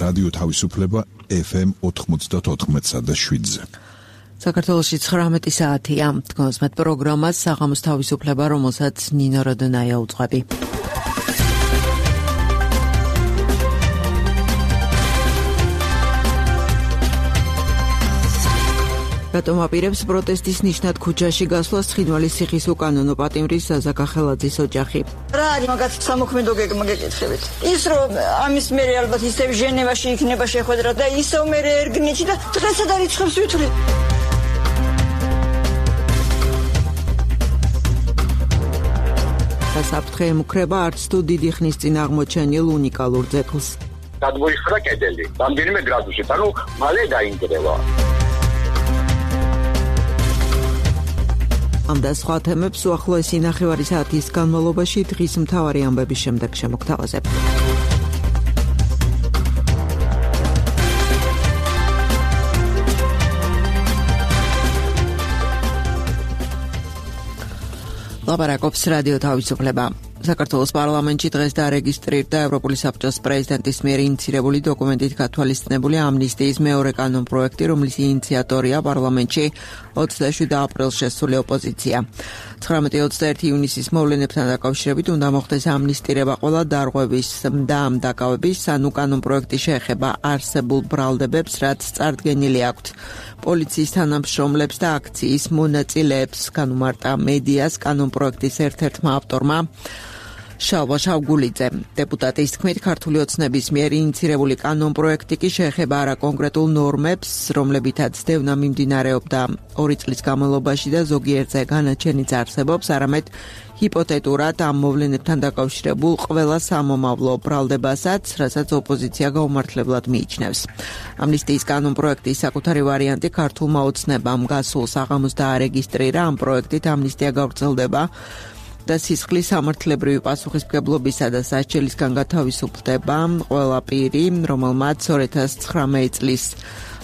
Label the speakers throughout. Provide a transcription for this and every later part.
Speaker 1: რადიო თავისუფლება FM 94.7-ზე.
Speaker 2: საქართველოში 19 საათია. თქვენს მეტ პროგრამას საღამოს თავისუფლება, რომელსაც ნინო როდონაია უძღვები. რატომ აპირებს პროტესტის ნიშნად ქუჩაში გასვლას ცხინვალის ციხის უკანონო პატიმრის საზა კახელაძის ოჯახი.
Speaker 3: რა არის მაგათ სამოქმედო გეგმა გეკითხებით? ის რომ ამის მერე ალბათ ისევ ჟენევაში იქნება შეხვედრა და ისევ მერე ერგნიჩი და დღესა და რიცხვებს ვითვლი.
Speaker 2: საფრთხე ემუქრება არც თუ დიდი ხნის წინ აღმოჩენილ უნიკალურ ძეგლს.
Speaker 4: გადმოიხსნა კედელი, რამდენიმე გრადუსით, ანუ მალე დაინგრევა.
Speaker 2: ამ და სხვა თემებს უახლოესი ნახევარი საათის განმავლობაში დღის მთავარი ამბების შემდეგ შემოგთავაზებთ. ლაპარაკობს რადიო თავისუფლება. საქართველოს პარლამენტში დღეს დარეგისტრირდა ევროპული საბჭოს პრეზიდენტის მიერ ინიცირებული დოკუმენტით გათვალისწინებული ამნისტიის მეორე კანონპროექტი, რომლის ინიციატორია პარლამენტში 27 აპრილს შესული ოპოზიცია. 19-21 ივნისის მოვლენებთან დაკავშირებით უნდა მოხდეს ამნისტირება ყველა დარღვევის და ამ დაკავების, ანუ კანონპროექტი შეეხება არსებულ ბრალდებებს, რაც წარდგენილი აქვთ პოლიციის თანამშრომლებს და აქციის მონაწილეებს, განუმარტა მედიას კანონპროექტის ერთ-ერთმა ავტორმა შალვა შავგულიძე. დეპუტატის თქმით, ქართული ოცნების მიერ ინიცირებული კანონპროექტი კი შეეხება არა კონკრეტულ ნორმებს, რომლებითაც დევნა მიმდინარეობდა 2 წლის განმავლობაში და ზოგიერთზე განაჩენიც არსებობს, არამედ ჰიპოთეტურად ამ მოვლენებთან დაკავშირებულ ყველა სამომავლო ბრალდებასაც, რასაც ოპოზიცია გაუმართლებლად მიიჩნევს. ამნისტიის კანონპროექტის საკუთარი ვარიანტი ქართულმა ოცნებამ გასულ საღამოს დაარეგისტრირა. ამ პროექტით ამნისტია გავრცელდება და სისხლის სამართლებრივი პასუხისმგებლობისა და სასჯელისგან გათავისუფლდება ყველა პირი, რომელმაც 2019 წლის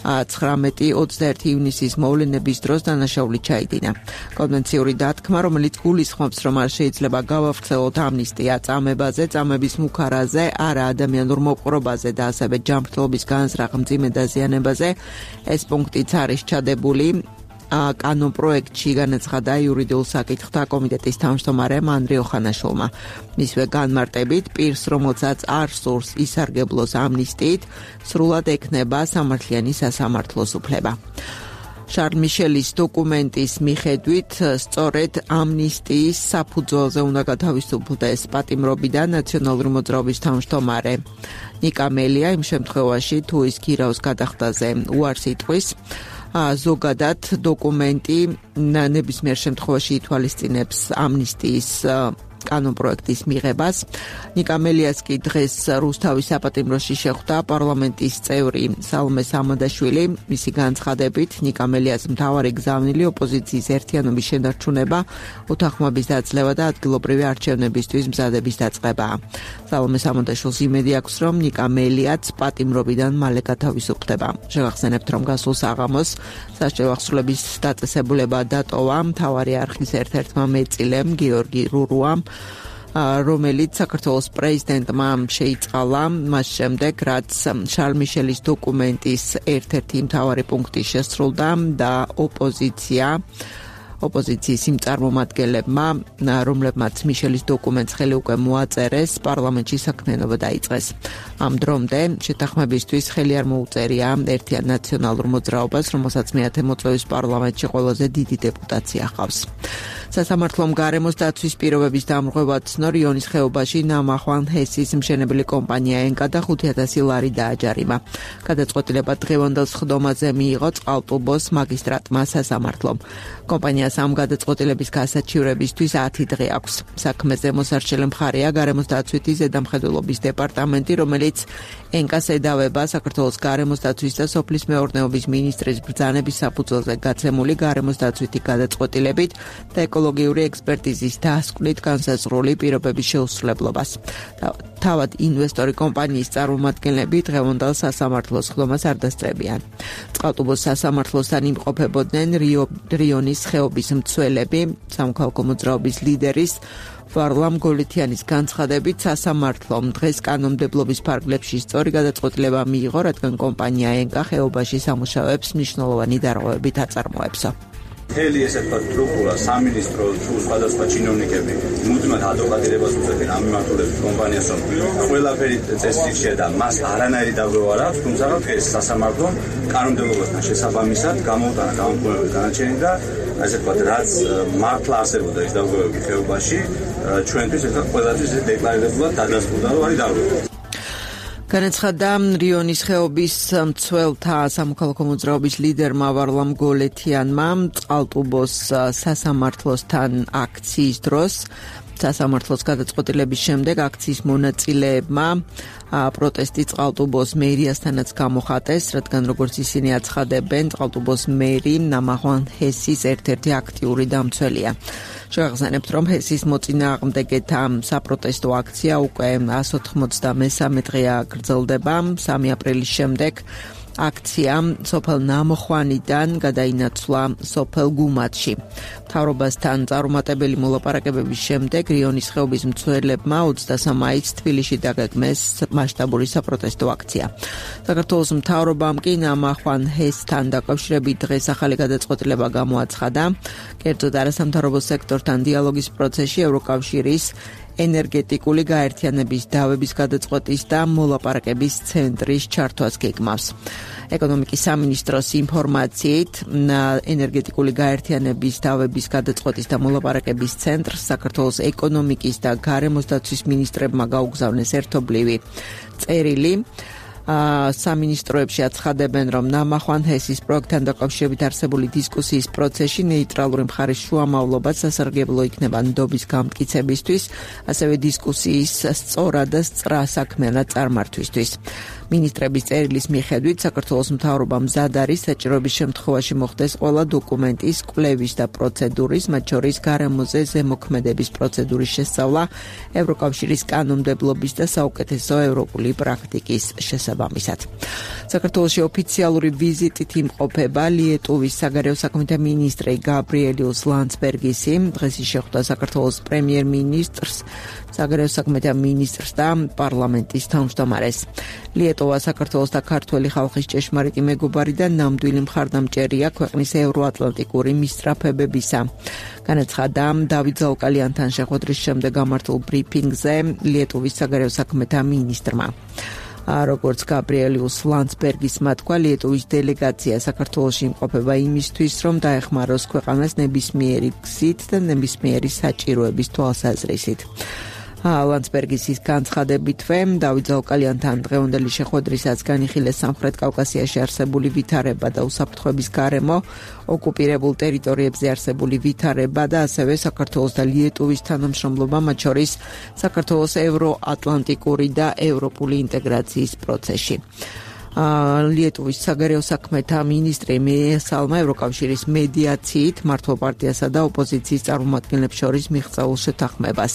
Speaker 2: 19-21 ივნისის მოვლენების დროს დანაშაული ჩაიდინა. კონვენციური დათქმა, რომელიც გულისხმობს, რომ არ შეიძლება გავავრცელოთ ამნისტია წამებაზე, წამების მუქარაზე, არა ადამიანურ მოპყრობაზე და ასევე ჯანმრთელობის განზრახ მძიმე დაზიანებაზე, ეს პუნქტიც არის ჩადებული კანონპროექტში, განაცხადა იურიდიულ საკითხთა კომიტეტის თავმჯდომარემ ანდრე ოხანაშვილმა. მისვე განმარტებით, პირს, რომელსაც არ სურს ისარგებლოს ამნისტიით, სრულად ექნება სამართლიანი სასამართლოს უფლება. შარლ მიშელის დოკუმენტის მიხედვით, სწორედ ამნისტიის საფუძველზე უნდა გათავისუფლდეს პატიმრობიდან ნაციონალური მოძრაობის თავმჯდომარე ნიკა მელია, იმ შემთხვევაში, თუ ის გირავს გადახდაზე უარს იტყვის. ზოგადად დოკუმენტი ნებისმიერ შემთხვევაში ითვალისწინებს ამნისტიის კანონპროექტის მიღებას. ნიკა მელიას კი დღეს რუსთავის საპატიმროში შეხვდა პარლამენტის წევრი სალომე სამადაშვილი. მისი განცხადებით, ნიკა მელიას მთავარი გზავნილი ოპოზიციის ერთიანობის შენარჩუნება, უთანხმოების დაძლევა და ადგილობრივი არჩევნებისთვის მზადების დაწყებაა. სალომე სამადაშვილს იმედი აქვს, რომ ნიკა მელიაც პატიმრობიდან მალე გათავისუფლდება. შევახსენებთ, რომ გასულ საღამოს სასჯელო აღსრულების დაწესებულება დატოვა მთავარი არხის ერთ-ერთმა მეწილემ გიორგი რურუამ, რომელიც საქართველოს პრეზიდენტმა შეიწყალა მას შემდეგ, რაც შარლ მიშელის დოკუმენტის ერთ-ერთი მთავარი პუნქტი შესრულდა და ოპოზიციის იმ წარმომადგენლებმა, რომლებმაც მიშელის დოკუმენტს ხელი უკვე მოაწერეს, პარლამენტში საქმიანობა დაიწყეს. ამ დრომდე შეთანხმებისთვის ხელი არ მოუწერია ერთიან ნაციონალურ მოძრაობას, რომელსაც მეათე მოწვევის პარლამენტში ყველაზე დიდი დეპუტაცია ჰყავს. სასამართლომ გარემოს დაცვის პირობების დამრღვევა ცნო რიონის ხეობაში ნამახვან ჰესის მშენებელი კომპანია ენკა და 5,000 ლარი დააჯარიმა. გადაწყვეტილება დღევანდელ სხდომაზე მიიღო წყალტუბოს მაგისტრატმა სასამართლომ. კომპანიას ამ გადაწყვეტილების გასაჩივრებისთვის 10 დღე აქვს. საქმეზე მოსარჩელი მხარეა გარემოს დაცვითი ზედამხედველობის დეპარტამენტი, რომელიც ენკას ედავება საქართველოს გარემოს დაცვის და სოფლის მეურნეობის მინისტრის ბრძანების საფუძველზე გაცემული გარემოს დაცვითი გადაწყვეტილებით და ეკოლოგიური ექსპერტიზის დასკვნით განსაზღვრული პირობების შეუსრულებლობას. თავად ინვესტორი კომპანიის წარმომადგენლები დღევანდელ სასამართლოს ხდომას არ დასწრებიან. წყალტუბოს სასამართლოსთან იმყოფებოდნენ რიონის ხეობის მცველები, სამოქალაქო მოძრაობის ლიდერის ვარლამ გოლეთიანის განცხადებით სასამართლომ დღეს კანონმდებლობის ფარგლებში სწორი გადაწყვეტილება მიიღო, რადგან კომპანია ენკა ხეობაში სამუშაოებს მნიშვნელოვანი დარღვევებით აწარმოებსო.
Speaker 5: მთელი ესე თქვა სტრუქტურა, სამინისტრო თუ სხვადასხვა ჩინოვნიკები მუდმივად ადვოკატირებას უწევენ ამ მიმართულებით კომპანიას, რომ ყველაფერი წესრიგშია და მას არანაირი დარღვევა არ აქვს, თუმცა ეს სასამართლომ კანონმდებლობასთან შესაბამისად გამოუტანა გამოკვლევების განაჩენი და ასე თქვა, რაც მართლა არსებობდა ეს დარღვევები ხეობაში, ჩვენთვის ეს ყველასთვის დეკლარირებულად დადასტურდა, რომ არის დარღვევა.
Speaker 2: განაცხადა რიონის ხეობის მცველთა სამოქალაქო მოძრაობის ლიდერმა ვარლამ გოლეთიანმა წყალტუბოს სასამართლოსთან აქციის დროს. სასამართლოს გადაწყვეტილების შემდეგ აქციის მონაწილეებმა პროტესტი წყალტუბოს მერიასთანაც გამოხატეს, რადგან როგორც ისინი აცხადებენ, წყალტუბოს მერი ნამახვან ჰესის ერთ-ერთი აქტიური დამცველია. შევახსენებთ, რომ ჰესის მოწინააღმდეგეთა საპროტესტო აქცია უკვე 193 დღეა გრძელდება. 3 აპრილის შემდეგ აქცია სოფელ ნამოხვანიდან გადაინაცვლა სოფელ გუმათში. მთავრობასთან წარუმატებელი მოლაპარაკებების შემდეგ რიონის ხეობის მცველებმა 23 მაისს თბილისში დაგეგმეს მასშტაბური საპროტესტო აქცია. საქართველოს მთავრობამ კი ნამახვან ჰესთან დაკავშირებით დღეს ახალი გადაწყვეტილება გამოაცხადა. კერძოდ არასამთავრობო სექტორთან დიალოგის პროცესში ევროკავშირის ენერგეტიკული გაერთიანების დავების გადაწყვეტის და მოლაპარაკების ცენტრის ჩართვას გეგმავს. ეკონომიკის სამინისტროს ინფორმაციით, ენერგეტიკული გაერთიანების დავების გადაწყვეტის და მოლაპარაკების ცენტრს საქართველოს ეკონომიკის და გარემოს დაცვის მინისტრებმა გაუგზავნეს ერთობლივი წერილი. სამინისტროებში აცხადებენ, რომ ნამახვან ჰესის პროექტთან დაკავშირებით არსებული დისკუსიის პროცესში ნეიტრალური მხარის შუამავლობა სასარგებლო იქნება ნდობის გამტკიცებისთვის, ასევე დისკუსიის სწორად და სწრა საქმიანად წარმართვისთვის. მინისტრების წერილის მიხედვით საქართველოს მთავრობა მზად არის საჭიროების შემთხვევაში მოხდეს ყველა დოკუმენტის, კვლევის და პროცედურის, მათ შორის გარემოზე ზემოქმედების პროცედურის შესწავლა, ევროკავშირის კანონმდებლობის და საუკეთესო ევროპული პრაქტიკის შესაბამისად. საქართველოში ოფიციალური ვიზიტით იმყოფება ლიეტუვის საგარეო საქმეთა მინისტრი გაბრიელიუს ლანცბერგისი. დღეს ის შეხვდა საქართველოს პრემიერ-მინისტრს, საგარეო საქმეთა მინისტრს და პარლამენტის თავმჯდომარეს. ლიეტუვა საქართველოს და ქართველი ხალხის ჭეშმარიტი მეგობარი და ნამდვილი მხარდამჭერია ქვეყნის ევროატლანტიკური მისწრაფებებისა. განაცხადა დავით ზაუკალიანთან შეხვედრის შემდეგ გამართულ ბრიფინგზე ლიეტუვის საგარეო საქმეთა მინისტრმა. როგორც გაბრიელიუს ლანცბერგისმა თქვა, ლიეტუვის დელეგაცია საქართველოში იმყოფება იმისთვის, რომ დაეხმაროს ქვეყანას ნებისმიერი გზით და ნებისმიერი საჭიროების თვალსაზრისით. ლანცბერგის განცხადებითვე დავით ზაუკალიანთან დღევანდელი შეხვედრისაც განიხილეს სამხრეთ კავკასიაში არსებული ვითარება და უსაფრთხოების გარემო, ოკუპირებულ ტერიტორიებზე არსებული ვითარება და ასევე საქართველოს და ლიეტუვის თანამშრომლობა, მათ შორის საქართველოს ევროატლანტიკური და ევროპული ინტეგრაციის პროცესში. ლიეტუვის საგარეო საქმეთა მინისტრი მიესალმა ევროკავშირის მედიაციით მართლ პარტიასა და ოპოზიციის წარმომადგენლებს შორის მიღწეულ შეთანხმებას.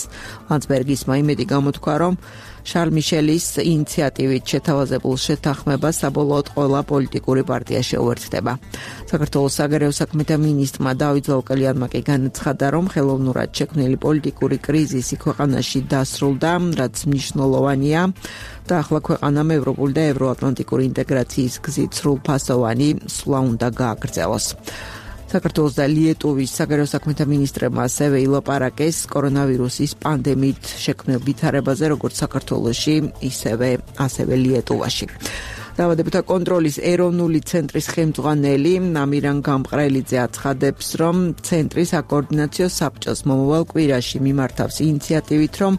Speaker 2: ლანცბერგისმა იმედი გამოთქვა, რომ შარლ მიშელის ინიციატივით შეთავაზებულ შეთანხმებას საბოლოოდ ყველა პოლიტიკური პარტია შეუერთდება. საქართველოს საგარეო საქმეთა მინისტრმა დავით ზაუკალიანმა კი განაცხადა, რომ ხელოვნურად შექმნილი პოლიტიკური კრიზისი ქვეყანაში დასრულდა, რაც მნიშვნელოვანია და ახლა ქვეყანამ ევროპული და ევროატლანტიკური ინტეგრაციის გზით სრულფასოვანი სვლა უნდა გააგრძელოს. საქართველოს და ლიეტუვის საგარეო საქმეთა მინისტრებმა ასევე ილაპარაკეს კორონავირუსის პანდემიით შექმნილ ვითარებაზე, როგორც საქართველოში, ასევე ლიეტუვაში. დაავადებათა კონტროლის ეროვნული ცენტრის ხელმძღვანელი ამირან გამყრელიძე აცხადებს, რომ ცენტრი საკოორდინაციო საბჭოს მომავალ კვირაში მიმართავს ინიციატივით, რომ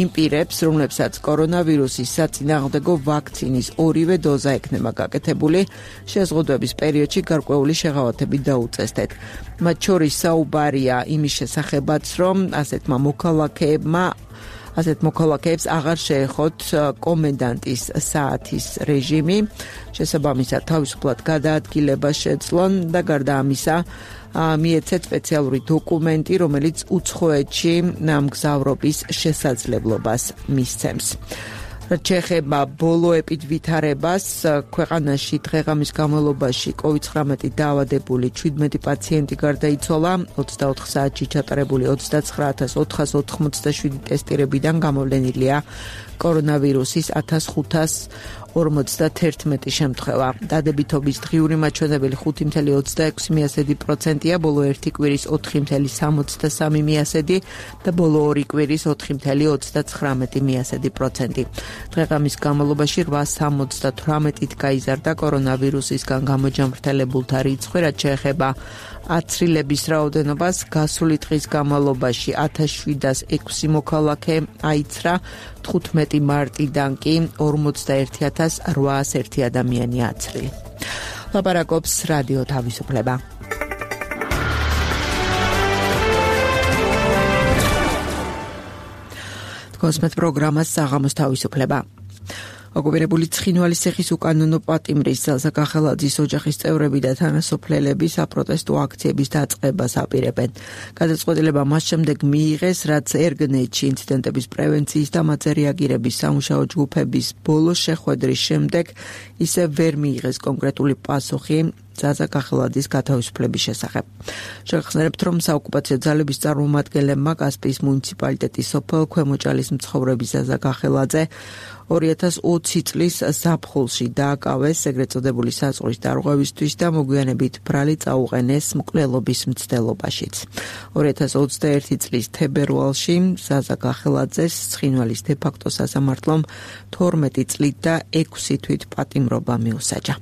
Speaker 2: იმ პირებს, რომლებსაც კორონავირუსის საწინააღმდეგო ვაქცინის ორივე დოზა ექნება გაკეთებული, შეზღუდვების პერიოდში გარკვეული შეღავათები დაუწესდეთ. მათ შორის საუბარია იმის შესახებაც, რომ ასეთმა მოქალაქეებმა ასეთ მოქალაქეებს აღარ შეეხოთ კომენდანტის საათის რეჟიმი. შესაბამისად თავისუფლად გადაადგილება შეძლონ და გარდა ამისა მიეცეთ სპეციალური დოკუმენტი, რომელიც უცხოეთში მგზავრობის შესაძლებლობას მისცემს. რაც შეეხება ბოლოებით ვითარებას, ქვეყანაში დღე-ღამის განმავლობაში COVID-19 დაავადებული 17 პაციენტი გარდაიცვალა, 24 საათში ჩატარებული 29487 ტესტირებიდან გამოვლენილია კორონავირუსის 1541 შემთხვევა. დადებითობის დღიური მაჩვენებელი 5.26%-ია, ბოლო ერთი კვირის 4.63% და ბოლო ორი კვირის 4.39%. დღე-ღამის განმავლობაში 878-ით გაიზარდა კორონავირუსისგან გამოჯამრთელებულთა რიცხვი, რაც შეეხება აცრილების რაოდენობას. გასული დღის განმავლობაში 1706 მოქალაქე აიცრა, 15 მარტიდან კი 41801 ადამიანი აცრილი. ლაპარაკობს რადიო თავისუფლება. კონსმეთ პროგრამას საღამოს თავისუფლება. ოკუპირებული ცხინვალის ციხის უკანონო პატიმრის ზაზაკახელაძის ოჯახის წევრები და თანასოფლელები საპროტესტო აქციების დაწყებას აპირებენ. გადაწყვეტილება მას შემდეგ მიიღეს, რაც ერგნეთში ინციდენტების პრევენციის და მათზე რეაგირების სამუშაო ჯგუფების ბოლო შეხვედრის შემდეგ ისევ ვერ მიიღეს კონკრეტული პასუხი ზაზაკახელაძის გათავისუფლების შესახებ. შეგახსენებთ, რომ საოკუპაციო ძალების წარმომადგენლებმა კასპიის მუნიციპალიტეტის სოფელ ქვემოჭალის მცხოვრები ზაზაკახელაძე 2020 წლის ზაფხულში დააკავეს ეგრეთ წოდებული საზღვრის დარღვევისთვის და მოგვიანებით ბრალი წაუყენეს მკვლელობის მცდელობაშიც. 2021 წლის თებერვალში ზაზაკახელაძეს ცხინვალის დე-ფაქტო სასამართლომ 12 წლით და 6 თვით პატიმრობა მიუსაჯა.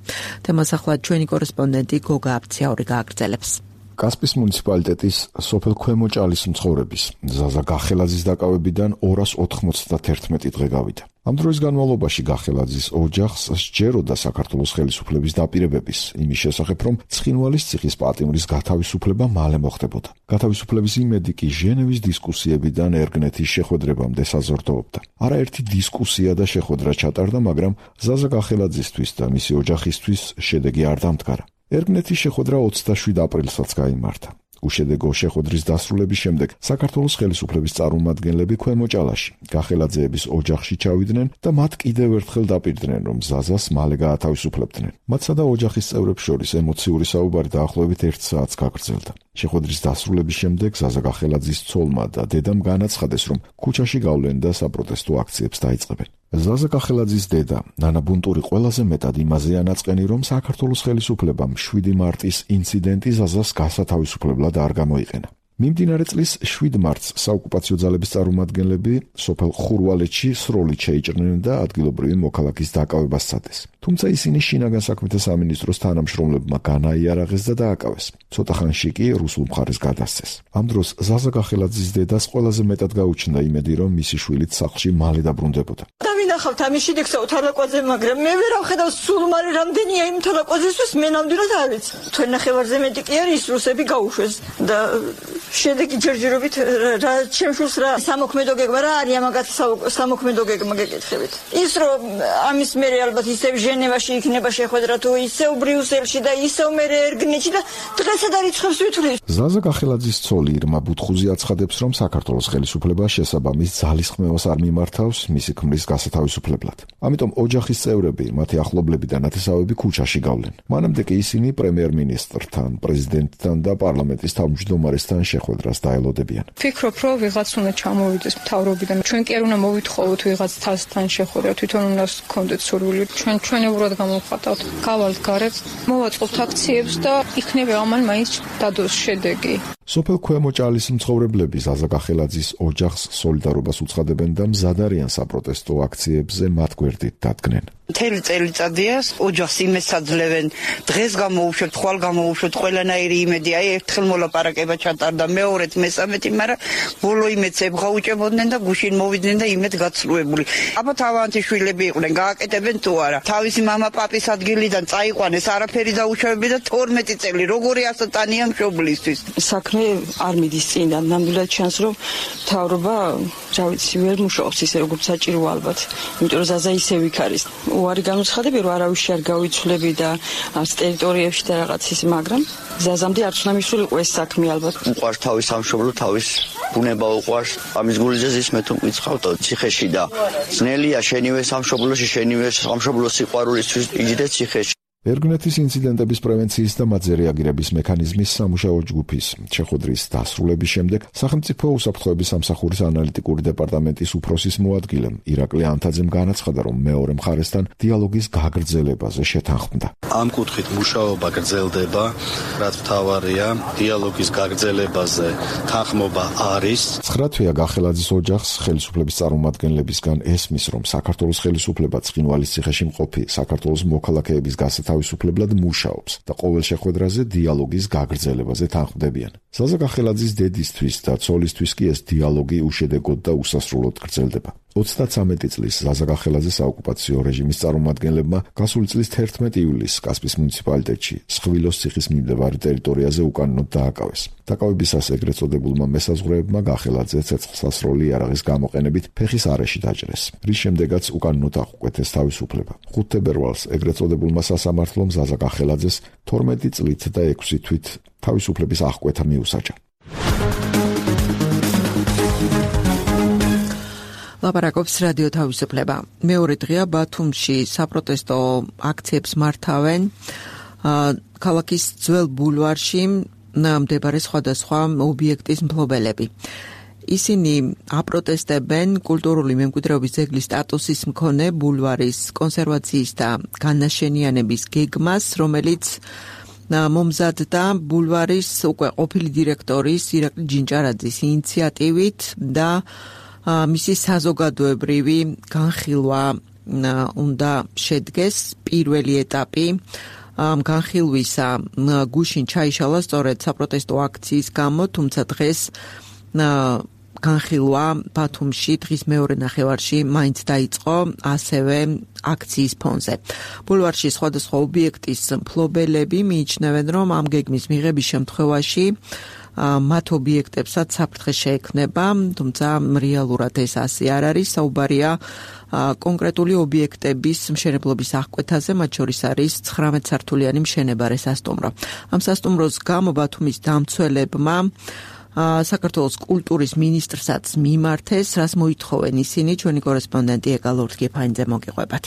Speaker 2: თემას ახლა ჩვენი კორესპონდენტი გოგა აფციაური გააგრძელებს.
Speaker 1: კასპიის მუნიციპალიტეტის სოფელ ქვემოჭალის მცხოვრების ზაზაკახელაძის დაკავებიდან 291 დღე გავიდა. ამ დროის განმავლობაში გახელაძის ოჯახს სჯეროდა საქართველოს ხელისუფლების დაპირებების იმის შესახებ, რომ ცხინვალის ციხის პატიმრის გათავისუფლება მალე მოხდებოდა. გათავისუფლების იმედი კი ჟენევის დისკუსიებიდან ერგნეთის შეხვედრებამდე საზრდოობდა. არაერთი დისკუსია და შეხვედრა ჩატარდა, მაგრამ ზაზაკახელაძისთვის და მისი ოჯახისთვის შედეგი არ დამდგარა. ერგნეთის შეხვედრა 27 აპრილსაც გაიმართა. უშედეგო შეხვედრის დასრულების შემდეგ საქართველოს ხელისუფლების წარმომადგენლები ქვემოჭალაში გახელაძეების ოჯახში ჩავიდნენ და მათ კიდევ ერთხელ დაპირდნენ, რომ ზაზას მალე გაათავისუფლებდნენ. მათსა და ოჯახის წევრებს შორის ემოციური საუბარი დაახლოებით 1 საათს გაგრძელდა. შეხვედრის დასრულების შემდეგ ზაზაკახელაძის ცოლმა და დედამ განაცხადეს, რომ ქუჩაში გავლენ და საპროტესტო აქციებს დაიწყებენ. ზაზაკახელაძის დედა ნანა ბუნტური ყველაზე მეტად იმაზეა ნაწყენი, რომ საქართველოს ხელისუფლებამ 7 მარტის ინციდენტი ზაზას გასათავისუფლებლად არ გამოიყენა. მიმდინარე წლის 7 მარტს საოკუპაციო ძალების წარმომადგენლები სოფელ ხურვალეთში სროლით შეიჭრნენ და ადგილობრივი მოქალაქის დაკავებას სცადეს. თუმცა ისინი შინაგან საქმეთა სამინისტროს თანამშრომლებმა განაიარაღეს და დააკავეს. ცოტა ხანში კი რუსულ მხარეს გადასცეს. ამ დროს ზაზაკახელაძის დედას ყველაზე მეტად გაუჩნდა იმედი, რომ მისი შვილიც სახლში მალე დაბრუნდებოდა.
Speaker 3: დავინახავთ ამის შედეგსა თალაკვაძე, მაგრამ მე ვერ ავხედავ სულ მალე რამდენია იმ თალაკვაძესთვის, მე ნამდვილად არ ვიცი. თქვენ ნახევარზე მეტი კი არის რუსები გაუშვეს და შედეგი ჯერჯერობით რა ჩემშულს რა სამოქმედო გეგმა რა არის ამაგაც სამოქმედო გეგმა გეკითხებით. ის რომ ამის მერე ალბათ ისევ ჟენევაში იქნება შეხვედრა თუ ისევ ბრიუსელში და ისევ მერე ერგნეთში და დღესაც არ იცხოვს ვითვლით.
Speaker 1: ზაზაკახელაძის ცოლი ირმა ბუთხუზი აცხადებს, რომ საქართველოს ხელისუფლება შესაბამის ძალისხმევას არ მიმართავს მისი ქმრის გასათავისუფლებლად. ამიტომ ოჯახის წევრები, მათი ახლობლები და ნათესავები ქუჩაში გავლენ. მანამდე კი ისინი პრემიერ-მინისტრთან, პრეზიდენტთან და პარლამენტის თავმჯდომარესთან შეხვედრას დაელოდებიან.
Speaker 6: ვფიქრობ, რომ ვიღაც უნდა ჩამოვიდეს მთავრობიდან. ჩვენ კი არ უნდა მოვითხოვოთ ვიღაც თასთან შეხვედრა, თვითონ უნდა გქონდეთ სურვილი. ჩვენ ჩვენებურად გამოვხატავთ. გავალთ გარეთ, მოვაწყობთ აქციებს და იქნება ამან მაინც დადოს შედეგი.
Speaker 1: სოფელ ქვემოჭალის მცხოვრებლები ზაზაკახელაძის ოჯახს სოლიდარობას უცხადებენ და მზად არიან საპროტესტო აქციებზე მათ გვერდით დადგნენ.
Speaker 7: მთელი წელიწადია ოჯახს იმეს აძლევენ, დღეს გამოვუშვებთ, ხვალ გამოვუშვებთ, ყველანაირი იმედი, აი ერთხელ მოლაპარაკება ჩატარდა, მეორეთ, მესამეთი, მაგრამ ბოლო იმედს ებღაუჭებოდნენ და გუშინ მოვიდნენ და იმედ გაცრუებული. აბა თავანთიშვილები იყვნენ, გააკეთებენ თუ არა. თავისი მამა პაპის ადგილიდან წაიყვანეს, არაფერი დაუშვებები და 12 წელი, როგორი ასატანია მშობლისთვის.
Speaker 6: საქმე
Speaker 3: საქმე არ მიდის წინდან. ნამდვილად ჩანს, რომ მთავრობა, რა ვიცი, ვერ მუშაობს ისე როგორც საჭირო ალბათ. იმიტომ რომ ზაზა ისევ იქ არის. უარი განუცხადები, რომ არავის არ გავიცვლები და არც ტერიტორიებში და რაღაც ის, მაგრამ ზაზამდე არც უნდა მისულიყო ეს საქმე ალბათ.
Speaker 8: უყვარს თავის სამშობლო, თავის ბუნება უყვარს. ამის გულიზეს მე თუ მკითხავთ ციხეში და ძნელია შენივე სამშობლოში, შენივე სამშობლოს სიყვარულისთვის იჯდე ციხეში.
Speaker 1: ერგნეთის ინციდენტების პრევენციის და მათზე რეაგირების მექანიზმის სამუშაო ჯგუფის შეხვედრის დასრულების შემდეგ სახელმწიფო უსაფრთხოების სამსახურის ანალიტიკური დეპარტამენტის უფროსის მოადგილემ ირაკლი ანთაძემ განაცხადა, რომ მეორე მხარესთან დიალოგის გაგრძელებაზე შეთანხმდა.
Speaker 9: ამ კუთხით მუშაობა გრძელდება, რაც მთავარია, დიალოგის გაგრძელებაზე თანხმობა არის.
Speaker 1: 9 თვეა გახელაძის ოჯახს ხელისუფლების წარმომადგენლებისგან ესმის, რომ საქართველოს ხელისუფლება ცხინვალის ციხეში მყოფი საქართველოს მოქალაქეების თავისუფლებლად მუშაობს და ყოველ შეხვედრაზე დიალოგის გაგრძელებაზე თანხმდებიან. ზაზა გახელაძის დედისთვის და ცოლისთვის კი ეს დიალოგი უშედეგოდ და უსასრულოდ გრძელდება. 33 წლის ზაზა გახელაძის საოკუპაციო რეჟიმის წარმომადგენლებმა გასული წლის 11 ივლისს კასპის მუნიციპალიტეტში სხვილოს ციხის მიმდებარე ტერიტორიაზე უკანონოდ დააკავეს. დაკავებისას ეგრეთ წოდებულმა მესაზღვრეებმა გახელაძე ცეცხლსასროლი იარაღის გამოყენებით ფეხის არეში დაჭრეს, რის შემდეგაც უკანონოდ აღუკვეთეს თავისუფლება. 5 თებერვალს ეგრეთ წოდებულმა სასამართლომ ზაზა გახელაძეს 12 წლით და 6 თვით თავისუფლების აღკვეთა მიუსაჯა.
Speaker 2: ლაპარაკობს რადიო თავისუფლება. მეორე დღეა ბათუმში საპროტესტო აქციებს მართავენ ქალაქის ძველ ბულვარში მდებარე სხვადასხვა ობიექტის მფლობელები. ისინი აპროტესტებენ კულტურული მემკვიდრეობის ძეგლის სტატუსის მქონე ბულვარის კონსერვაციის და განაშენიანების გეგმას, რომელიც მომზადდა ბულვარის უკვე ყოფილი დირექტორის ირაკლი ჯინჭარაძის ინიციატივით და მისი საზოგადოებრივი განხილვა უნდა შედგეს. პირველი ეტაპი განხილვისა გუშინ ჩაიშალა სწორედ საპროტესტო აქციის გამო, თუმცა დღეს განხილვა ბათუმში დღის მეორე ნახევარში მაინც დაიწყო ასევე აქციის ფონზე. ბულვარში სხვადასხვა ობიექტის მფლობელები მიიჩნევენ, რომ ამ გეგმის მიღების შემთხვევაში მათ ობიექტებსაც საფრთხე შეექმნება, თუმცა რეალურად ეს ასე არ არის. საუბარია კონკრეტული ობიექტების მშენებლობის აღკვეთაზე, მათ შორის არის 19 სართულიანი მშენებარე სასტუმრო. ამ სასტუმროს გამო ბათუმის დამცველებმა საქართველოს კულტურის მინისტრსაც მიმართეს, რას მოითხოვენ ისინი, ჩვენი კორესპონდენტი ეკალორთ გეფაინძე მოგიყვებათ.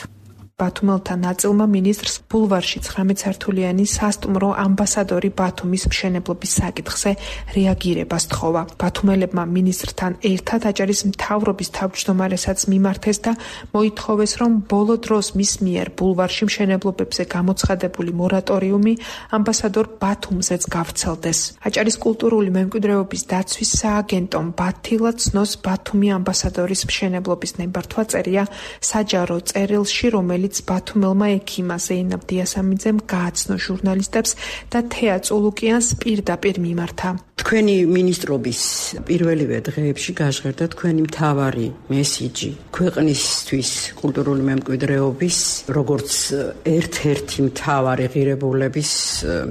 Speaker 10: ბათუმელთა ნაწილმა მინისტრს ბულვარში 19 სართულიანი სასტუმრო ამბასადორი ბათუმის მშენებლობის საკითხზე რეაგირება სთხოვა. ბათუმელებმა მინისტრთან ერთად აჭარის მთავრობის თავმჯდომარესაც მიმართეს და მოითხოვეს, რომ ბოლო დროს მის მიერ ბულვარში მშენებლობებზე გამოცხადებული მორატორიუმი ამბასადორ ბათუმზეც გავრცელდეს. აჭარის კულტურული მემკვიდრეობის დაცვის სააგენტომ ბათილა ცნოს ბათუმი ამბასადორის მშენებლობის ნებართვა წერია საჯარო წერილში, რომელიც ბათუმელმა ექიმა ზეინაბ დიასამიძემ გააცნო ჟურნალისტებს და თეა წულუკიანს პირდაპირ მიმართა.
Speaker 11: თქვენი მინისტრობის პირველივე დღეებში გაჟღერდა თქვენი მთავარი მესიჯი ქვეყნისთვის კულტურული მემკვიდრეობის როგორც ერთ-ერთი მთავარი ღირებულების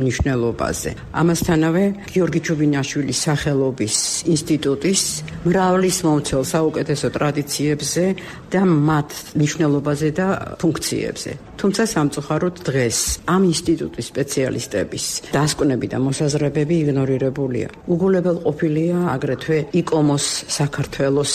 Speaker 11: მნიშვნელობაზე. ამასთანავე გიორგი ჩუბინაშვილის სახელობის ინსტიტუტის მრავლის მომცველ საუკეთესო ტრადიციებზე და მათ მნიშვნელობაზე და ფუნქციებზე. თუმცა სამწუხაროდ დღეს ამ ინსტიტუტის სპეციალისტების დასკვნები და მოსაზრებები იგნორირებულია. უგულებელყოფილია აგრეთვე იკომოს საქართველოს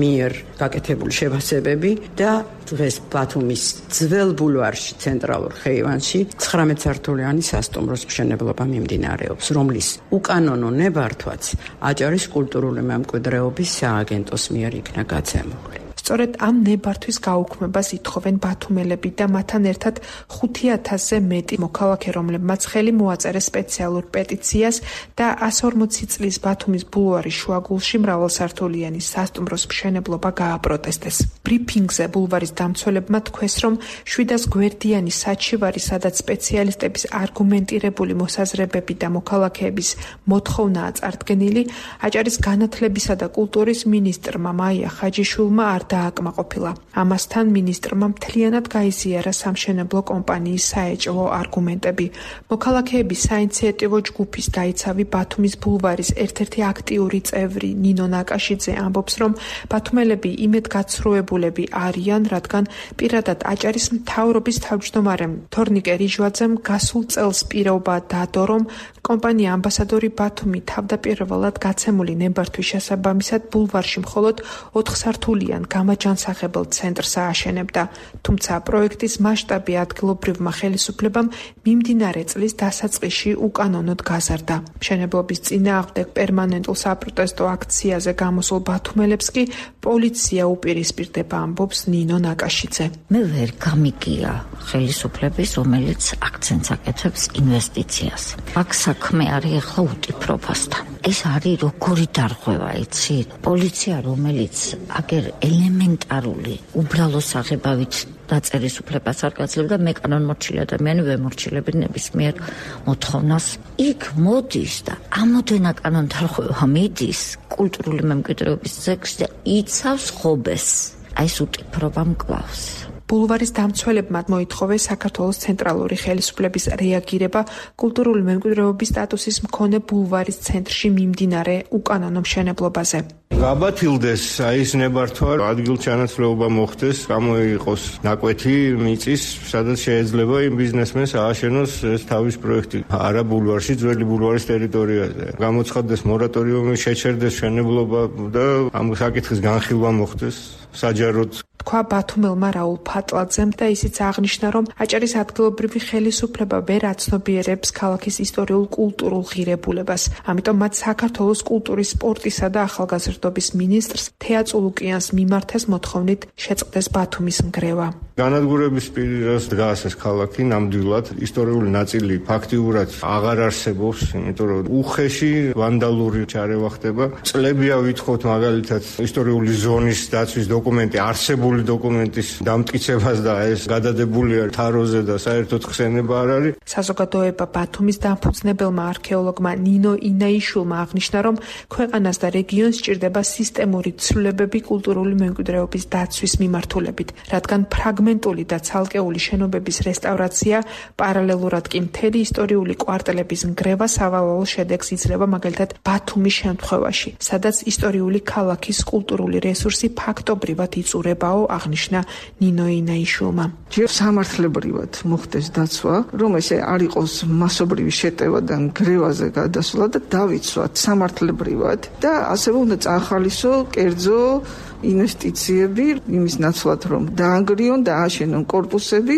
Speaker 11: მიერ გაკეთებული შეფასებები და დღეს ბათუმის ძველ ბულვარში ცენტრალურ ხეივანში 19 სართულიანი სასტუმროს მშენებლობა მიმდინარეობს, რომლის უკანონო ნებართვაც აჭარის კულტურული მემკვიდრეობის სააგენტოს მიერ იქნა გაცემული.
Speaker 10: სწორედ ამ ნებართვის გაუქმებას ითხოვენ ბათუმელები და მათთან ერთად 5000-ზე მეტი მოქალაქე, რომლებმაც ხელი მოაწერეს სპეციალურ პეტიციას და 140 წლის ბათუმის ბულვარის შუაგულში მრავალსართულიანი სასტუმროს მშენებლობა გააპროტესტეს. ბრიფინგზე ბულვარის დამცველებმა თქვეს, რომ 700 გვერდიანი საჩივარი, სადაც სპეციალისტების არგუმენტირებული მოსაზრებები და მოქალაქეების მოთხოვნაა წარდგენილი, აჭარის განათლებისა და კულტურის მინისტრმა მაია ხაჯიშვილმა არ დააკმაყოფილა. ამასთან მინისტრმა მთლიანად გაიზიარა სამშენებლო კომპანიის საეჭვო არგუმენტები. მოქალაქეების საინიციატივო ჯგუფის დაიცავი ბათუმის ბულვარის ერთ-ერთი აქტიური წევრი ნინო ნაკაშიძე ამბობს, რომ ბათუმელები იმედგაცრუებულები არიან, რადგან პირადად აჭარის მთავრობის თავმჯდომარემ თორნიკე რიჟვაძემ გასულ წელს პირობა დადო, რომ კომპანია ამბასადორი ბათუმი თავდაპირველად გაცემული ნებართვის შესაბამისად ბულვარში მხოლოდ 4 სართულიან გამაჯანსაღებელ ცენტრს ააშენებდა. თუმცა პროექტის მასშტაბი ადგილობრივმა ხელისუფლებამ მიმდინარე წლის დასაწყისში უკანონოდ გაზარდა. მშენებლობის წინააღმდეგ პერმანენტულ საპროტესტო აქციაზე გამოსულ ბათუმელებს კი პოლიცია უპირისპირდება, ამბობს ნინო ნაკაშიძე.
Speaker 12: მე ვერ გამიგია ხელისუფლების, რომელიც აქცენტს აკეთებს ინვესტიციას. აქ საქმე არის ახლა უტიფრობასთან. ეს არის როგორი დარღვევა, იცით? პოლიცია, რომელიც აგერ ელემენტარული უბრალო საღებავით დაწერის უფლებას არ გაძლევდა, მე კანონმორჩილი ადამიანი ვემორჩილები ნებისმიერ მოთხოვნას. იქ მოდის და ამოდენა კანონდარღვევა მიდის კულტურული მემკვიდრეობის ძეგლში და იცავს ხობეს. აი ეს უტიფრობა მკლავს.
Speaker 10: ბულვარის დამცველებმა მოითხოვეს საქართველოს ცენტრალური ხელისუფლების რეაგირება კულტურული მემკვიდრეობის სტატუსის მქონე ბულვარის ცენტრში მიმდინარე უკანონო მშენებლობაზე.
Speaker 13: გაბათილდეს ის ნებართვა, ადგილჩანაცვლეობა მოხდეს, გამოიყოს ნაკვეთი მიწის, სადაც შეიძლება იმ ბიზნესმენს ააშენოს ეს თავის პროექტი. არა ბულვარში, ძველი ბულვარის ტერიტორიაზე. გამოცხადდეს მორატორიუმი, შეჩერდეს მშენებლობა და ამ საკითხის განხილვა მოხდეს საჯაროდ.
Speaker 10: თქვა ბათუმელმა რაულ ფატლაძემ და ისიც აღნიშნა, რომ აჭარის ადგილობრივი ხელისუფლება ვერ აცნობიერებს ქალაქის ისტორიულ კულტურულ ღირებულებას. ამიტომ მათ საქართველოს კულტურის, სპორტისა და ახალგაზრდობის მინისტრს თეა წულუკიანს მიმართეს მოთხოვნით შეწყდეს ბათუმის ნგრევა.
Speaker 13: განადგურების პირას დგას ეს ქალაქი ნამდვილად ისტორიული ნაწილი ფაქტიურად აღარ არსებობს, იმიტომ რომ უხეში ვანდალური ჩარევა ხდება. წლებია ვითხოვთ მაგალითად ისტორიული ზონის დაცვის დოკუმენტი არსებული დოკუმენტის დამტკიცებას და ეს გადადებულია თაროზე და საერთოდ ხსენება არ არის.
Speaker 10: საზოგადოება ბათუმის დამფუძნებელმა არქეოლოგმა ნინო ინაიშვილმა აღნიშნა, რომ ქვეყანას და რეგიონს სჭირდება სისტემური ცვლილებები კულტურული მემკვიდრეობის დაცვის მიმართულებით, რადგან ფრაგმენტული და ცალკეული შენობების რესტავრაცია პარალელურად კი მთელი ისტორიული კვარტალების ნგრევა სავალალო შედეგს იძლევა, მაგალითად ბათუმის შემთხვევაში, სადაც ისტორიული ქალაქის კულტურული რესურსი ფაქტობრივად იწურებაო, აღნიშნა ნინო ინაიშვილმა.
Speaker 14: ჯერ სამართლებრივად მოხდეს დაცვა, რომ ესე არ იყოს მასობრივი შეტევა და ნგრევაზე გადასვლა და დავიცვათ სამართლებრივად და ასევე უნდა წაახალისო კერძო ინვესტიციები იმის ნაცვლად, რომ დაანგრიონ და ააშენონ კორპუსები,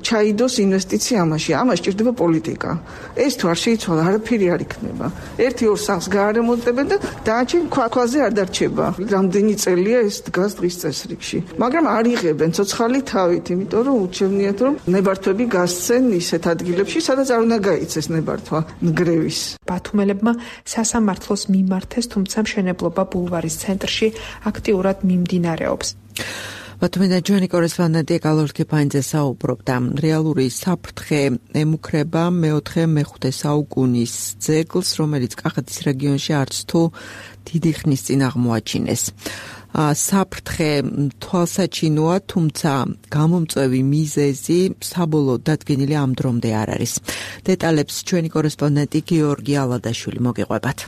Speaker 14: ჩაიდოს ინვესტიცია ამაში. ამას სჭირდება პოლიტიკა. ეს თუ არ შეიცვალა, არაფერი არ იქნება. 1-2 სახლს გაარემონტებენ და დააჩენ ქვაზე არ დარჩება. რამდენი წელია ეს დგას დღის წესრიგში. მაგრამ არ იღებენ ცოცხალი თავით, იმიტომ რომ უჩვენიათ, რომ ნებართვები გასცენ ისეთ ადგილებში, სადაც არ უნდა გაიცეს ნებართვა ნგრევის.
Speaker 10: ბათუმელებმა სასამართლოს მიმართეს, თუმცა მშენებლობა ბულვარის ცენტრში აქტიურად მიმდინარეობს.
Speaker 2: ბათუმიდან ჩვენი კორესპონდენტი გალორქი ფაინძე საუბრობდა. რეალური საფრთხე ემუქრება მე-4-მე-5 საუკუნის ძეგლს, რომელიც კახეთის რეგიონში არც თუ დიდი ხნის წინ აღმოაჩინეს. საფრთხე თვალსაჩინოა, თუმცა გამომწვევი მიზეზი საბოლოოდ დადგენილი ამ დრომდე არ არის. დეტალებს ჩვენი კორესპონდენტი გიორგი ალადაშვილი მოგიყვებათ.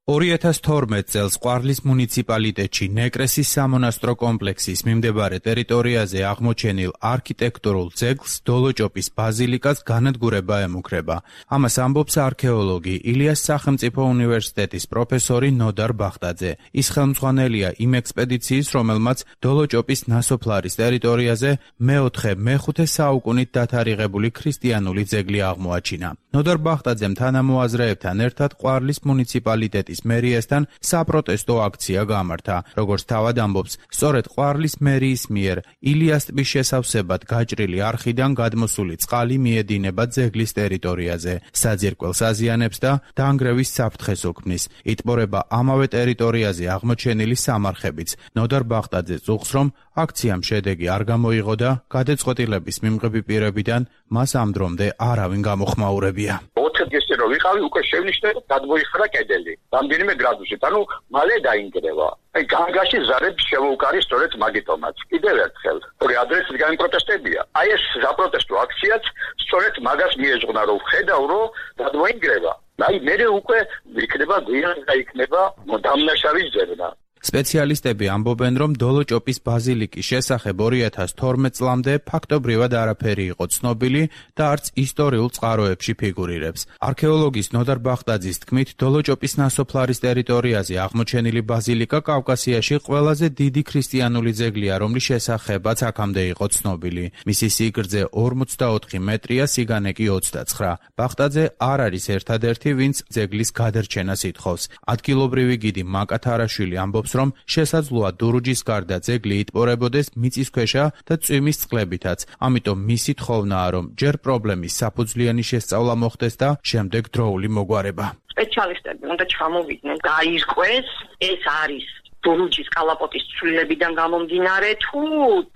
Speaker 15: 2012 წელს ყვარლის მუნიციპალიტეტში ნეკრესის სამონასტრო კომპლექსის მიმდებარე ტერიტორიაზე აღმოჩენილ არქიტექტურულ ძეგლს დოლოჭოპის ბაზილიკას განადგურება ემუქრება. ამას ამბობს არქეოლოგი ილიას სახელმწიფო უნივერსიტეტის პროფესორი ნოდარ ბახტაძე. ის ხელმძღვანელია იმ ექსპედიციის, რომელმაც დოლოჭოპის ნასოფლარის ტერიტორიაზე მე-4-მე-5 საუკუნით დათარიღებული ქრისტიანული ძეგლი აღმოაჩინა. ნოდარ ბახტაძემ თანამოაზრეებთან ერთად ყვარლის მუნიციპალიტეტის ყვარლის მერიასთან საპროტესტო აქცია გამართა. როგორც თავად ამბობს, სწორედ ყვარლის მერიის მიერ ილიას ტბის შესავსებად გაჭრილი არხიდან გადმოსული წყალი მიედინება ძეგლის ტერიტორიაზე. საძირკველს აზიანებს და დაანგრევის საფრთხეს უქმნის. იტბორება ამავე ტერიტორიაზე აღმოჩენილი სამარხებიც. ნოდარ ბახტაძე წუხს, რომ აქციამ შედეგი არ გამოიღო და გადაწყვეტილების მიმღები პირებიდან მას ამ დრომდე არავინ გამოხმაურებია.
Speaker 4: 20 დღეს რო ვიყავი, უკვე შევნიშნე და გადმოიხარა კედელი. რამდენიმე გრადუსით, ანუ მალე დაინგრევა. აი განგაში ზარებს შევუკარი სწორედ მაგიტომაც. კიდევ ერთხელ, ორი ადრესით გამპროტესტებია. აი ეს საპროტესტო აქციაც სწორედ მაგას მიეძღვნა, რომ ხედავ, რომ გადმოინგრევა. აი მე უკვე იქნება გვიან და იქნება დამნაშავის ძებნა.
Speaker 15: სპეციალისტები ამბობენ, რომ დოლოჭოპის ბაზილიკის შესახებ 2012 წლამდე ფაქტობრივად არაფერი იყო ცნობილი და არც ისტორიულ წყაროებში ფიგურირებს. არქეოლოგის ნოდარ ბახტაძის თქმით, დოლოჭოპის ნასოფლარის ტერიტორიაზე აღმოჩენილი ბაზილიკა კავკასიაში ყველაზე დიდი ქრისტიანული ძეგლია, რომლის შესახებაც აქამდე იყო ცნობილი. მისი სიგრძე 44 მეტრია, სიგანე კი 29. ბახტაძე არ არის ერთადერთი, ვინც ძეგლის გადარჩენას ითხოვს. ადგილობრივი გიდი მაკა თარაშვილი ამბობს, რომ შესაძლოა დურუჯის გარდა ძეგლი იტბორებოდეს მიწისქვეშა და წვიმის წყლებითაც. ამიტომ მისი თხოვნაა, რომ ჯერ პრობლემის საფუძვლიანი შესწავლა მოხდეს და შემდეგ დროული მოგვარება.
Speaker 16: სპეციალისტები უნდა ჩამოვიდნენ, გაირკვეს, ეს არის დურუჯის კალაპოტის ცვლილებიდან გამომდინარე თუ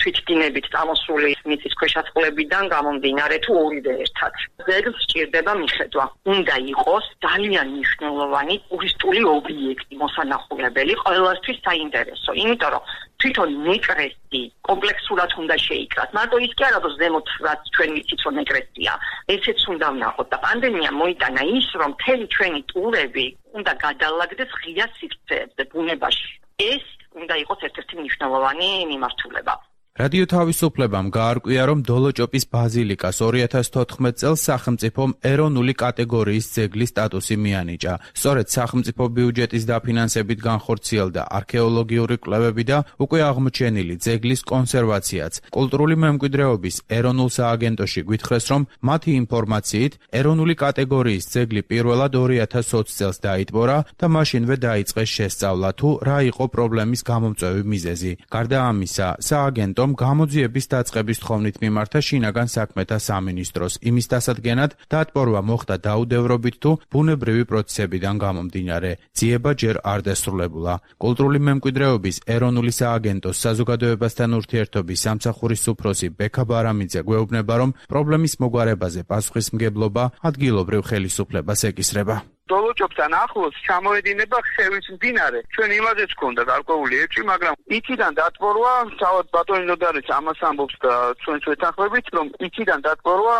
Speaker 16: თვითდინებით წამოსული მიწისქვეშა წყლებიდან გამომდინარე თუ ორივე ერთად. ძეგლს სჭირდება მიხედვა. უნდა იყოს ძალიან მნიშვნელოვანი ტურისტული ობიექტი, მოსანახულებელი, ყველასთვის საინტერესო. იმიტომ რომ თვითონ ნეკრესი კომპლექსურად უნდა შეიკრას. მარტო ის კი არა, რომ ზემოთ რაც ჩვენ ვიცით, რომ ნეკრესია. ესეც უნდა ვნახოთ და პანდემია მოიტანა ის, რომ მთელი ჩვენი ტურები უნდა გადაალაგდეს ღია სივრცეებზე ბუნებაში. ეს უნდა იყოს ერთ-ერთი მნიშვნელოვანი მიმართულება.
Speaker 15: რადიო თავისუფლებამ გაარკვია, რომ დოლოჭოპის ბაზილიკას 2014 წელს სახელმწიფომ ეროვნული კატეგორიის ძეგლის სტატუსი მიანიჭა. სწორედ სახელმწიფო ბიუჯეტის დაფინანსებით განხორციელდა არქეოლოგიური კვლევები და უკვე აღმოჩენილი ძეგლის კონსერვაციაც. კულტურული მემკვიდრეობის ეროვნულ სააგენტოში გვითხრეს, რომ მათი ინფორმაციით ეროვნული კატეგორიის ძეგლი პირველად 2020 წელს დაიტბორა და მაშინვე დაიწყეს შესწავლა, თუ რა იყო პრობლემის გამომწვევი მიზეზი. გარდა ამისა, სააგენტომ გამოძიების დაწყების თხოვნით მიმართა შინაგან საქმეთა სამინისტროს. იმის დასადგენად დატბორვა მოხდა დაუდევრობით თუ ბუნებრივი პროცესებიდან გამომდინარე. ძიება ჯერ არ დასრულებულა. კულტურული მემკვიდრეობის ეროვნული სააგენტოს საზოგადოებასთან ურთიერთობის სამსახურის უფროსი ბექა ბარამიძე გვეუბნება, რომ პრობლემის მოგვარებაზე პასუხისმგებლობა ადგილობრივ ხელისუფლებას ეკისრება.
Speaker 17: დოლოჭობთან ახლოს ჩამოედინება ხევის მდინარე. ჩვენ იმაზეც გქონდა გარკვეული ეჭვი, მაგრამ იქიდან დატბორვა, თავად ბატონი ნოდარიც ამას ამბობს და ჩვენც ვეთანხმებით, რომ იქიდან დატბორვა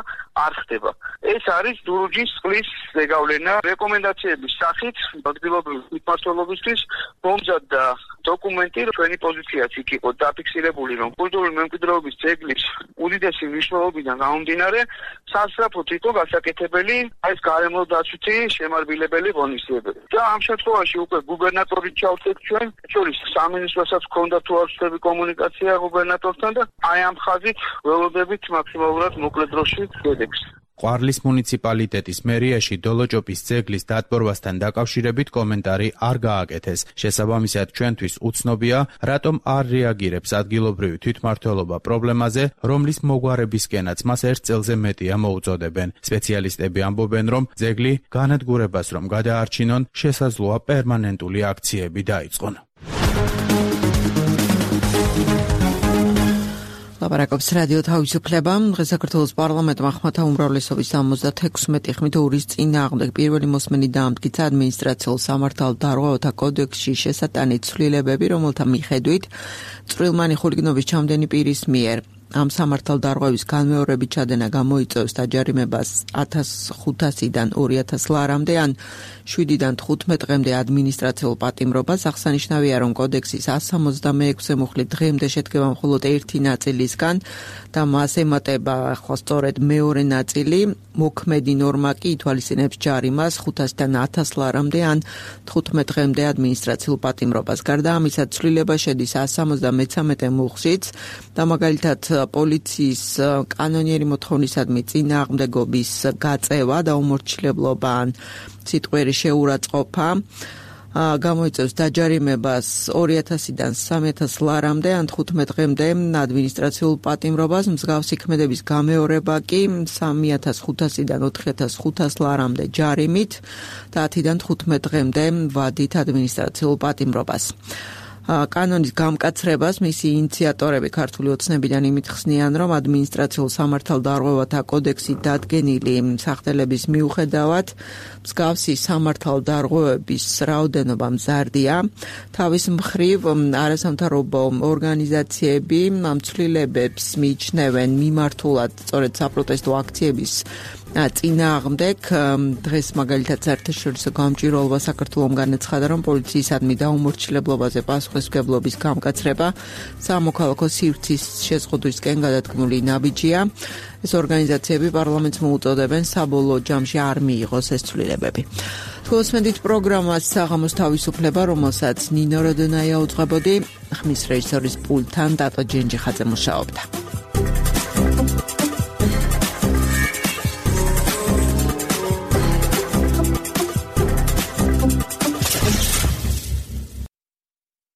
Speaker 17: არ ხდება. ეს არის დურუჯის წყლის ზეგავლენა. რეკომენდაციების სახით ადგილობრივი მმართველობისთვის მომზადდა დოკუმენტი, ჩვენი პოზიციაც იქ იყო დაფიქსირებული, რომ კულტურული მემკვიდრეობის ძეგლის უდიდესი მნიშვნელობიდან გამომდინარე, სასწრაფოდ იყო გასაკეთებელი ეს გარემოდაცვითი შემარბილებელი ღონისძიებები. და ამ შემთხვევაში უკვე გუბერნატორი ჩავწეთ ჩვენ, შორის სამინისტროსაც ჰქონდა თუ არ ვცდები კომუნიკაცია გუბერნატორთან და აი ამ ხაზით ველოდებით მაქსიმალურად მოკლე დროში შედეგს.
Speaker 15: ყვარლის მუნიციპალიტეტის მერიაში დოლოჭოპის ძეგლის დატბორვასთან დაკავშირებით კომენტარი არ გააკეთეს. შესაბამისად, ჩვენთვის უცნობია, რატომ არ რეაგირებს ადგილობრივი თვითმმართველობა პრობლემაზე, რომლის მოგვარებისკენაც მას ერთ წელზე მეტია მოუწოდებენ. სპეციალისტები ამბობენ, რომ ძეგლი განადგურებას რომ გადაარჩინონ, შესაძლოა პერმანენტული აქციები დაიწყონ.
Speaker 2: ლაპარაკობს რადიო თავისუფლება. დღეს საქართველოს პარლამენტმა ხმათა უმრავლესობის 76 ხმით ორის წინააღმდეგ პირველი მოსმენი დაამტკიცა ადმინისტრაციულ სამართალ დარღვევათა კოდექსში შესატანი ცვლილებები, რომელთა მიხედვით წვრილმანი ხულიგნობის ჩამდენი პირის მიერ ამ სამართალ დარღვევის განმეორებით ჩადენა გამოიწვევს დაჯარიმებას 1500-დან 2000 ლარამდე ან 7-დან 15 დღემდე ადმინისტრაციულ პატიმრობას. აღსანიშნავია, რომ კოდექსის 166 მუხლი დღემდე შედგება მხოლოდ ერთი ნაწილისგან და მას ემატება ახლა სწორედ მეორე ნაწილი. მოქმედი ნორმა კი ითვალისწინებს ჯარიმას 500-დან 1000 ლარამდე ან 15 დღემდე ადმინისტრაციულ პატიმრობას. გარდა ამისა, ცვლილება შედის 173 მუხლშიც და მაგალითად პოლიციის კანონიერი მოთხოვნისადმი წინააღმდეგობის გაწევა და უმორჩილებლობა ან სიტყვიერი შეურაცხყოფა გამოიწევს დაჯარიმებას 2000-დან 3000 ლარამდე ან 15 დღემდე ადმინისტრაციულ პატიმრობას, მსგავსი ქმედების გამეორება კი 3500-დან 4500 ლარამდე ჯარიმით და 10-დან 15 დღემდე ვადით ადმინისტრაციულ პატიმრობას. კანონის გამკაცრებას მისი ინიციატორები ქართული ოცნებიდან იმით ხსნიან, რომ ადმინისტრაციულ სამართალდარღვევათა კოდექსი დადგენილი სახდელების მიუხედავად მსგავსი სამართალდარღვევების რაოდენობა მზარდია. თავის მხრივ არასამთავრობო ორგანიზაციები ცვლილებებს მიიჩნევენ მიმართულად სწორედ საპროტესტო აქციების წინააღმდეგ. დღეს მაგალითად საერთაშორისო გამჭვირვალობა საქართველომ განაცხადა, რომ პოლიციისადმი დაუმორჩილებლობაზე პასუხისმგებლობის გამკაცრება სამოქალაქო სივრცის შეზღუდვისკენ გადადგმული ნაბიჯია. ეს ორგანიზაციები პარლამენტს მოუწოდებენ საბოლოო ჯამში არ მიიღოს ეს ცვლილებები. თვალსმენდით პროგრამას საღამოს თავისუფლება, რომელსაც ნინო როდონაია უძღვებოდი, ხმის რეჟისორის პულტთან დატო ჯენჯიხაძე მუშაობდა.